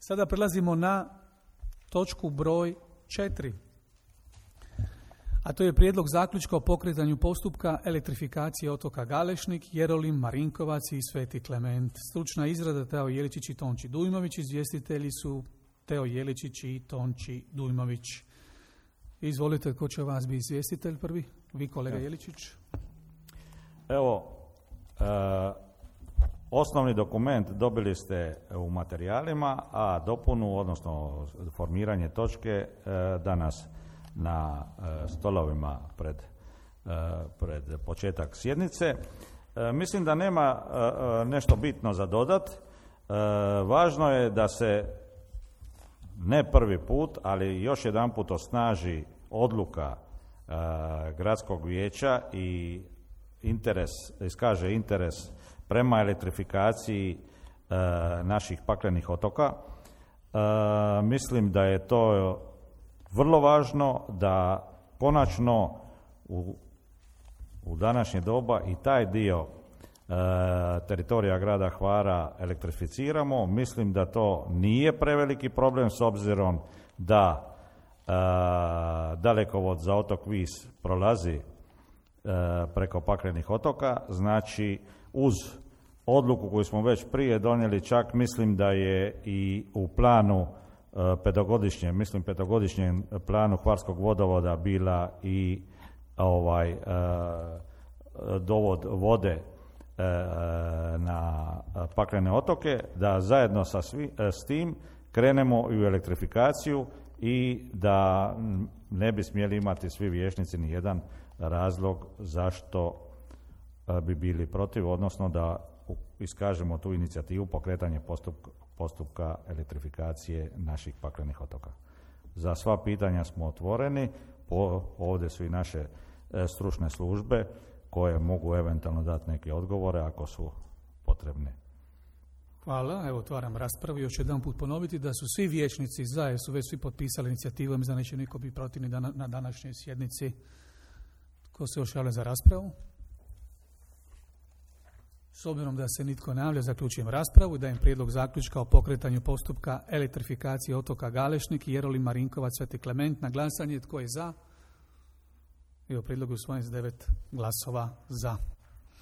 Sada prelazimo na točku broj 4. A to je prijedlog zaključka o pokretanju postupka elektrifikacije otoka Galešnik, Jerolim, Marinkovac i Sveti Klement. Stručna izrada Teo Jeličić i Tonči Dujmović. Izvjestitelji su Teo Jeličić i Tonči Dujmović. Izvolite, ko će vas biti izvjestitelj prvi? Vi, kolega Jeličić. Evo, osnovni dokument dobili ste u materijalima, a dopunu, odnosno formiranje točke danas na stolovima pred početak sjednice. Mislim da nema nešto bitno za dodat. Važno je da se ne prvi put, ali još jedanput osnaži odluka gradskog vijeća i iskaže interes prema elektrifikaciji naših paklenih otoka. Mislim da je to vrlo važno da konačno u današnje doba i taj dio teritorija grada Hvara elektrificiramo. Mislim da to nije preveliki problem s obzirom da dalekovod za otok Vis prolazi preko paklenih otoka. Znači, uz odluku koju smo već prije donijeli, čak mislim da je i u planu petogodišnjem planu Hvarskog vodovoda bila i dovod vode na paklene otoke, da zajedno s tim krenemo i u elektrifikaciju i da ne bi smjeli imati svi vijećnici ni jedan razlog zašto bi bili protiv, odnosno da iskažemo tu inicijativu pokretanje postupka elektrifikacije naših paklenih otoka. Za sva pitanja smo otvoreni, ovdje su i naše stručne službe koje mogu eventualno dati neke odgovore ako su potrebne. Hvala. Evo, otvaram raspravu. Još jedan put ponoviti da su svi vijećnici za, jer su već svi potpisali inicijativom, za neće niko biti protivni na današnjoj sjednici. Ko se još javlja za raspravu? S obzirom da se nitko ne javlja, zaključujem raspravu i dajem prijedlog zaključka o pokretanju postupka elektrifikacije otoka Galešnik, Jerolim, Marinkovac, Sveti Klement na glasanje. Tko je za? Evo, prijedlog je usvojen s 9 glasova za.